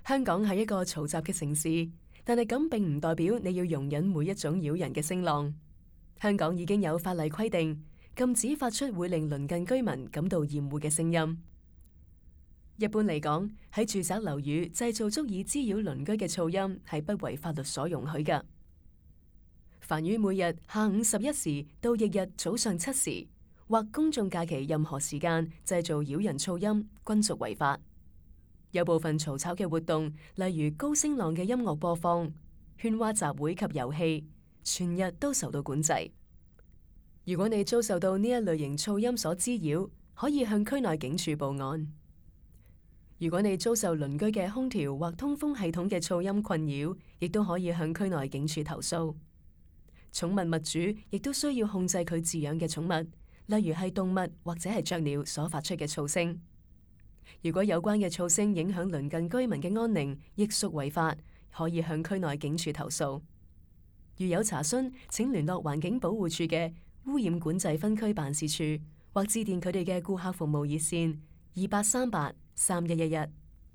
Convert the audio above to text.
香港係一個嘈雜嘅城市，但係咁並唔代表你要容忍每一種擾人嘅聲浪。香港已經有法例規定，禁止發出會令鄰近居民感到厭惡嘅聲音。一般嚟講，喺住宅樓宇製造足以滋擾鄰居嘅噪音係不為法律所容許㗎。凡於每日下午11時到翌日早上7時或公眾假期任何時間製造擾人噪音，均屬違法。有部分嘈吵嘅活動，例如高聲浪嘅音樂播放、喧嘩集會及遊戲，全日都受到管制。如果你遭受到呢一類型噪音所滋擾，可以向區內警署報案。如果你遭受鄰居嘅空調或通風系統嘅噪音困擾，亦都可以向區內警署投訴。寵物物主亦都需要控制佢飼養嘅寵物，例如係動物或者係雀鳥所發出嘅噪聲。如果有關嘅噪聲影響鄰近居民嘅安寧，亦屬違法，可以向區內警署投訴。如有查詢，請聯絡環境保護署嘅污染管制分區辦事處，或致電佢哋嘅顧客服務熱線28383111。